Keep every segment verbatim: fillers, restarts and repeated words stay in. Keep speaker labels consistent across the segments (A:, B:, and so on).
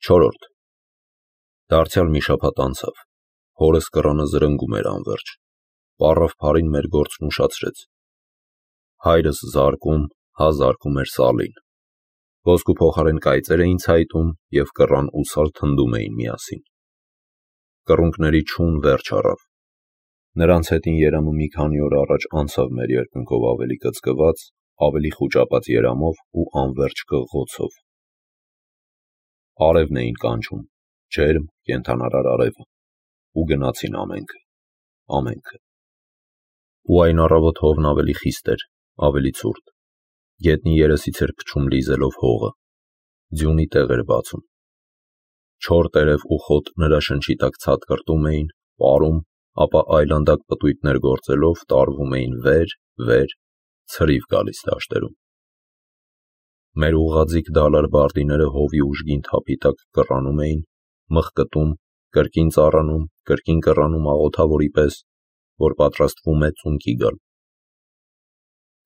A: Չորրորդ Դարձյալ մի շաբաթ անցավ, հորս կռանը զրնգում էր անվերջ, պառավ փարին մեր գործն ուշացրեց, հայրս զարկում, հա զարկում էր սալին, ոսկու փոխարեն կայծեր էին ցայտում և կռան ու սալ թնդում էին միասին, կռունկների չուն վերջ առավ, նրանց հետին երամը մի քանի օր առաջ անցավ մեր երկնքով ավելի կծկված, ավելի խուճապած երամով ու անվերջ կղղոցով, արևն էին կանչում, ջերմ, կենդանարար արևը, ու գնացին ամենքը, ամենքը, ու այն առավոտ հովն ավելի խիստ էր, ավելի ցուրտ, գետնի երեսից էր փչում լիզելով հողը, ձյունի տեղ էր բացում, չոր տերև ու խոտ նրա շնչի տակ ցատկրտում էին, պարում, ապա այլանդակ պտույտներ գործելով տարվում էին վեր, վեր, ցրիվ գալիս դաշտերում, մեր ուղղաձիգ դալար բարդիները հովի ուժգին թափի տակ կռանում էին, մխկտում, կրկին ծառանում, կրկին կռանում աղոթավորի պես, որ պատրաստվում է ծունկի գալ,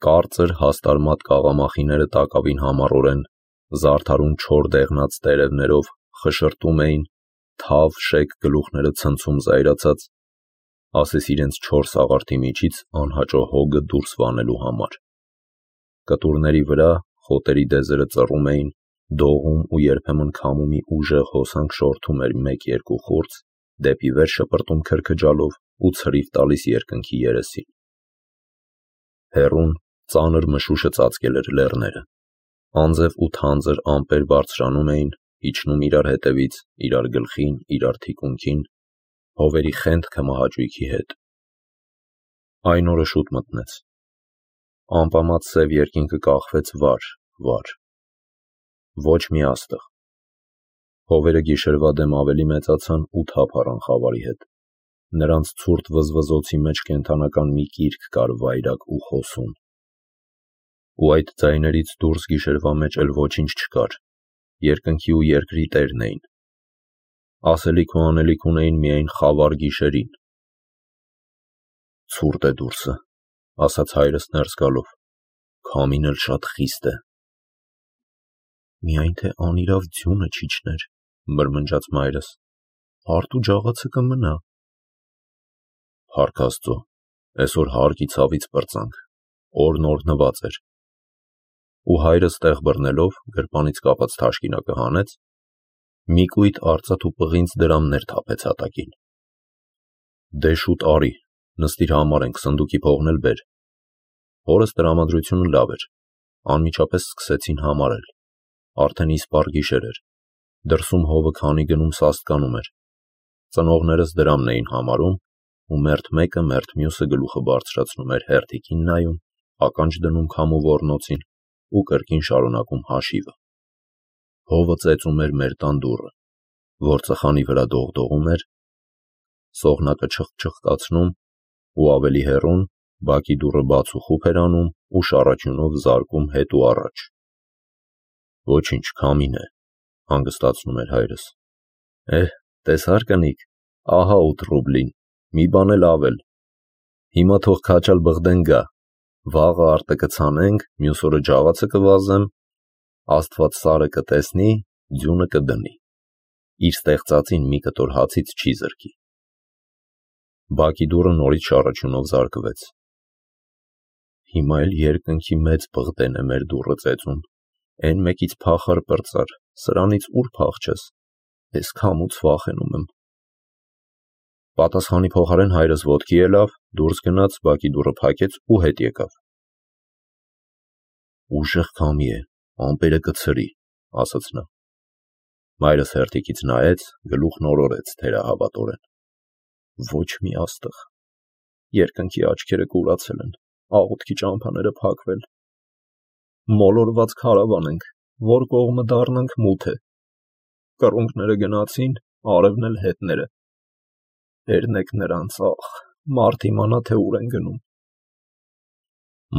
A: կարծր հաստարմատ կաղամախիները տակավին համառորեն, զարդարուն չոր դեղնած տերևներով խշրտում էին, թավ շեկ գլուխները ցնցում զայրացած, ասես իրենց չոր սաղարթի միջից անհաճո հոգը դուրս վանելու համար, կտուրների վրա խոտերի դեզերը ծռում էին, դողում ու երբեմն քամումի ուժեղ հոսանք շորթում էր մեկ-երկու խուրձ, դեպի վեր շպրտում քրքջալով ու ցրիվ տալիս երկնքի երեսին, հեռուն, ծանր մշուշը ծածկել էր լեռները, անձև ու թանձր ամպեր բարձրանում էին, իջնում իրար հետևից, իրար գլխին, իրար թիկունքին, հովերի խենթքը մահաճույքի հետ, այն օրը շուտ մտնեց, ամպամած սև երկինքը կախվեց վար, վար, ոչ մի աստղ, հովերը գիշերվա դեմ ավելի մեծացան ու թափ առան խավարի հետ, նրանց ցուրտ վզվզոցի մեջ կենդանական մի կիրք կար վայրագ ու խոսուն, ու այդ ձայներից դուրս գիշերվա մեջ էլ ոչինչ չկար, երկնքի ու երկրի տերն էին, ասելիք ու անելիք ունեին միայն խավար գիշերին, ցուրտ է դուրսը, ասաց հայրս ներս գալով, քամին էլ շատ խիստ է, միայն թե անիրավ ձյունը չիջներ, մրմնջաց մայրս, հարթ ու ջաղացը կմնա, փառք Աստծո, այսօր հարկի ցավից պրծանք, օրն օրհնված էր, ու հայրս տեղ բռնելով, գրպանից կապած թաշկինակը հանեց, մի կույտ արծաթ ու պղինձ դրամներ թափեց հատակին, դե շուտ արի, նստիր համար ենք, սնդուկի փողն էլ բեր, հորս տրամադրությունը լավ էր, անմիջապես սկսեցին համարել, արդեն իսպառ գիշեր էր, դրսում հովը քանի գնում սաստկանում էր, ծնողներս դրամն էին համարում, ու մերթ մեկը մերթ մյուսը գլուխը բարձրացնում էր հերթիկին նայում, ականջ դնում քամու ոռնոցին ու կրկին շարունակում հաշիվը, հովը ծեծում էր մեր տան դուռը, որ ծխանի վրա դողդողում էր, սողնակը չխչխկացնում ու ավելի հեռուն, բակի դուռը բաց ու խուփ էր անում ու շառաչյունով զարկում հետ ու առաջ, ոչինչ, քամին է, հանգստացնում էր հայրս, էհ, տեսար կնիկ, ահա ութ ռուբլին, մի բան էլ ավել, հիմա թող քաչալ բղդեն գա, վաղը արտը կցանենք, մյուս օրը ջաղացը կվազեմ, Աստված սարը կտեսնի, ձյունը կդնի, իր ստեղծածին մի կտոր հացից չի զրկի, բակի դուռը նորից շառաչյունով զարկվեց, հիմա էլ երկնքի մեծ բղդեն է մեր դուռը ծեծում, Էն մեկից փախար պրծար, սրանից ուր փախչես, ես քամուց վախենում եմ, պատասխանի փոխարեն հայրս ոտքի ելավ, դուրս գնաց, բակի դուռը փակեց ու հետ եկավ, ուժեղ քամի է, ամպերը կցրի, ասաց նա, մայրս հերթիկից նայեց, գլուխն օրորեց թերահավատորեն, ոչ մի աստղ, երկնքի աչքերը կուրացել են, աղոթքի ճամփաները փակվել, մոլորված քարավան ենք, որ կողմը դառնանք մութ է, կռունկները գնացին, արևն էլ հետները, երնեք նրանց, ախ, մարդ իմանա, թե ուր են գնում,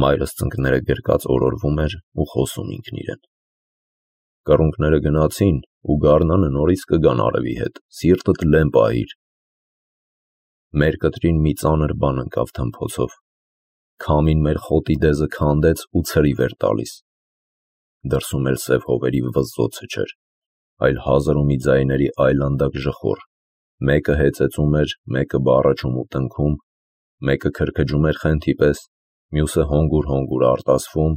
A: մայրս ծնկները գրկած օրորվում էր ու խոսում ինքն իրեն, կռունկները գնացին ու գարնանը նորից կգան արևի հետ, սիրտդ լեմ պահիր, մեր կտրին մի ծանր բան ընկավ թմփոցով, քամին մեր խոտի դեզը քանդեց ու ցրիվ էր տալիս, դրսում էլ սև հովերի վզզոցը չէր, այլ հազար ու մի ձայների այլանդակ ժխոր, մեկը հեծեծում էր, մեկը բառաչում ու տնքում, մեկը քրքջում էր խենթի պես, մյուսը հոնգուր-հոնգուր արտասվում,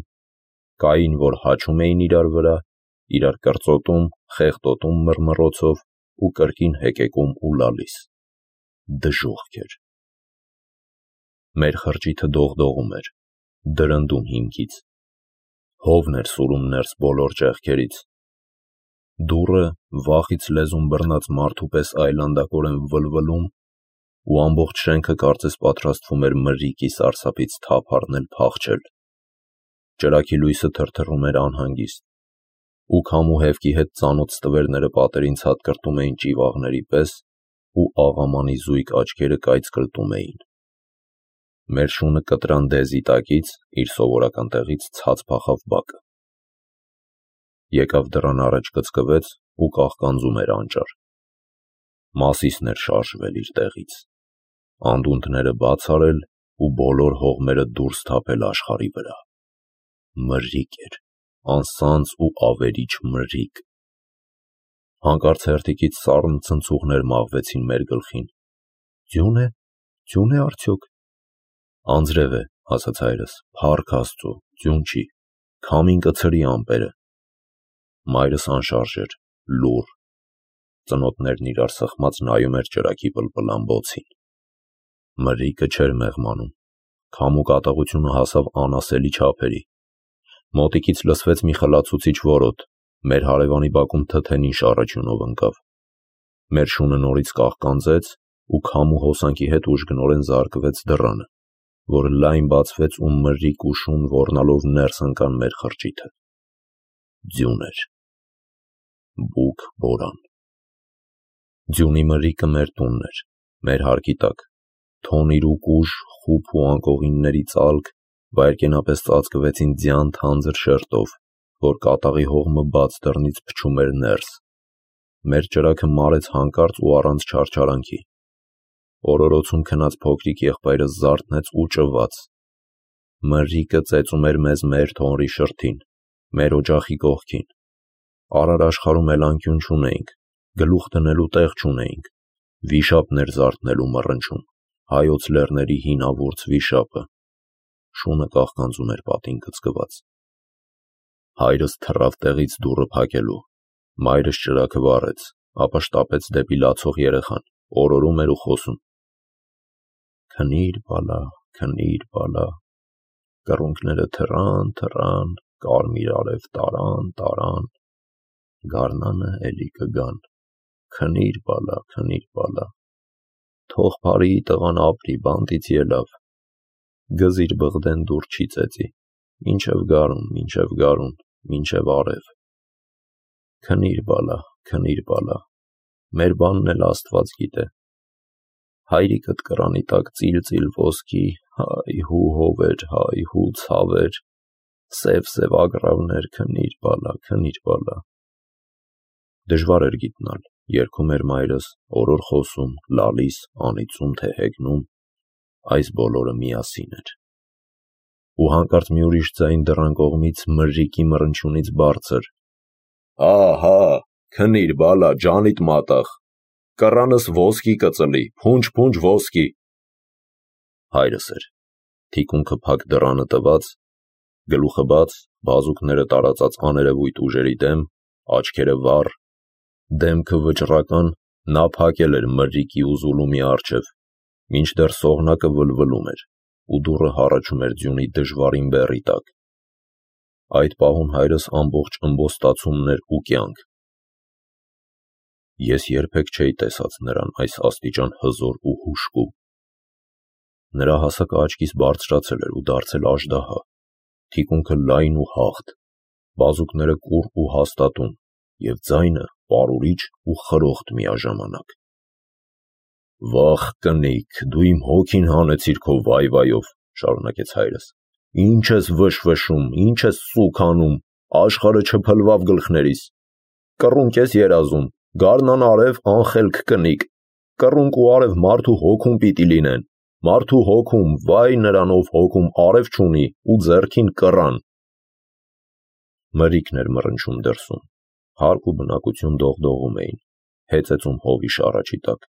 A: կային, որ հաչում էին իրար վրա, իրար կրծոտում, խեղտոտում մռմռոցով ու կրկին հեկեկում ու լալիս։ Դժոխք էր։ Մեր խրճիթը դողդողում էր, դրնդում հիմքից, հովն էր սուրում ներս բոլոր ճեղքերից։ Դուռը վախից լեզուն բռնած մարդու պես այլանդակորեն վլվլում ու ամբողջ շենքը կարծես պատրաստվում էր մրրիկի սարսափից թափ առնել փախչել։ Ճրագի լույսը թրթռում էր անհանգիստ, ու քամու հևկի հետ ծանոթ ստվերները պատերին ցատկրտում էին ճիվաղների պես ու աղամանի զույգ աչքերը կայծկլտում էին։ Մեր շունը կտրան դեզի տակից իր սովորական տեղից ցած փախավ բակը։ Եկավ դռան առաջ կծկվեց ու կաղկանձում էր անճար։ Մասիսն էր շարժվել իր տեղից, անդունդները բաց արել ու բոլոր հողմերը դուրս թափել աշխարհի վրա։ Մրրիկ էր, անսանձ ու ավերիչ մրրիկ։ Հանկարծ հերթիկից սառն ցնցուղներ մաղվեցին մեր գլխին։ Ձյուն է, ձյուն է արդյոք։ Անձրև է, ասաց հայրս, փառք Աստծո, ձյուն չի, քամին կցրի ամպերը։ Մայրս անշարժ էր, լուռ, ծնոտներն իրար սխմած նայում էր ճրագի պլպլամբոցին։ Մրրիկը չէր մեղմանում, քամու կատաղությունը հասավ անասելի չափերի։ Մոտիկից լսվեց մի խլացուցիչ որոտ, մեր հարևանի բակում թթենին շառաչյունով ընկավ։ Մեր շունը նորից կաղկանձեց ու քամու հոսանքի հետ ուժգնորեն զարկվեց դռանը, որը լայն բացվեց ու մրրիկ ու շուն ոռնալով ներս ընկան մեր խրճիթը։ Ձյուն էր։ Բուք բորան։ Ձյունի մրրիկը մեր տունն էր, մեր հարկի տակ, թոնիր ու կուժ, խուփ ու անկողինների ծալք վայրկենապես ծածկվեցին ձյան թանձր շերտով, որ կատաղի հողմը բաց դռնից փչում էր ներս։ Մեր ճրագը մարեց հանկարծ ու առանց չարչարանքի։ Օրորոցում քնած փոքրիկ եղբայրը զարթնեց ու ճվաց։ Մրրիկը ծեծում էր մեզ մեր թոնրի շրթին, մեր օջախի կողքին։ Արար աշխարհում էլ անկյուն չունեինք, գլուխ դնելու տեղ չունեինք։ Վիշապն էր զարթնել ու մռնչում, հայոց լեռների հինավուրց վիշապը։ Շունը կաղկանձում էր պատին կծկված։ Հայրս թռավ տեղից դուռը փակելու։ Մայրս ճրագը վառեց, ապա շտապեց դեպի լացող երեխան, օրորում էր ու խոսում. Քնիր բալա, քնիր բալա, կռունկները թռան, թռան, կարմիր արև տարան, տարան, գարնանը էլի կգան, քնիր բալա, քնիր բալա, թող փարի տղան ապրի, բանտից ելավ, գզիր բղդեն դուր չի ծեծի, մինչև գարուն, մինչև գարուն, մինչև արև, քնիր բալա, քնիր բալա, մեր բանն էլ Աստված գիտե։ Հայրիկդ կռանի տակ ծիլ-ծիլ ոսկի, հայ հու հովեր, հայ հու ցավեր, սև-սև ագռավներ, քնիր բալա, քնիր բալա։ Դժվար էր գիտնալ, երգում էր մայրս, օրոր խոսում, լալիս, անիծում թե հեգնում, այս բոլորը միասին էր։ Ու հանկարծ մի ուրիշ ձայն դռան կողմից մրրիկի մռնչյունից բարձր. Հա, հա, քնիր բալա, ջանիդ մատաղ, կռանս ոսկի կծլի, փունջ-փունջ ոսկի։ Հայրս էր, թիկունքը փակ դռանը տված, գլուխը բաց, բազուկները տարածած աներևույթ ուժերի դեմ, աչքերը վառ, դեմքը վճռական, նա փակել էր մրրիկի ու զուլումի առջև, մինչդեռ սողնակը վլվլում էր, ու դուռը հառաչում էր ձյունի դժվարին բեռի տակ։ Այդ պահուն հայրս ամբողջ ըմբոստացումն էր ու կյանք։ Ես երբեք չէի տեսած նրան այս աստիճան հզոր ու հուժկու։ Նրա հասակը աչքիս բարձրացել էր ու դարձել աժդահա, թիկունքը լայն ու հաղթ, բազուկները կուռ ու հաստատուն, և ձայնը պարուրիչ ու խրոխտ միաժամանակ։ Վախ կնիկ, դու իմ հոգին հանեցիր քո վայ-վայով, շարունակեց հայրս, ինչ ես վշվշում, ինչ ես սուգ անում, աշխարհը չփլվավ գլխներիս, կռունկ ես երազում, գարնան արև անխելք կնիկ, կռունկ ու արև մարդու հոգում պիտի լինեն, մարդու հոգում, վայ նրան, ով հոգում արև չունի ու ձեռքին կռան։ Մրրիկն էր մռնչում դրսում, Հարկ ու բնակություն դողդողում էին, հեծեծում հովի շառաչի տակ,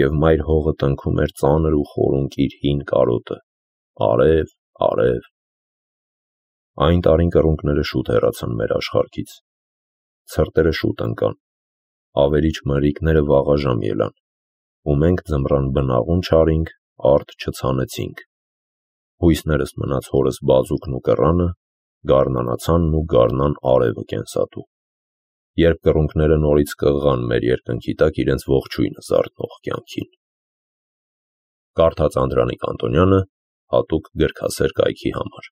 A: և մայր հողը տնքում էր ծանր ու խորունկ իր հին կարոտը, արև, արև։ Այն տարին կռունկները շուտ հեռացան մեր աշխարհքից, ցրտերը շուտ ընկան, ավերիչ մրրիկները վաղաժամ ելան, ու մենք ձմռան բնաղուն չարինք, արդ չցանեցինք։ Հույսներս մնաց հորս բազուկն ու կռանը, գարնանացանն ու գարնան արևը կենսատու։ Երբ կռունկները նորից կղղան մեր երկնքի տակ իրենց ողջույնը զարթնող կյանքին։ Կարդաց Անդրանիկ Անտոնյանը հատուկ գրքասեր կայքի համար։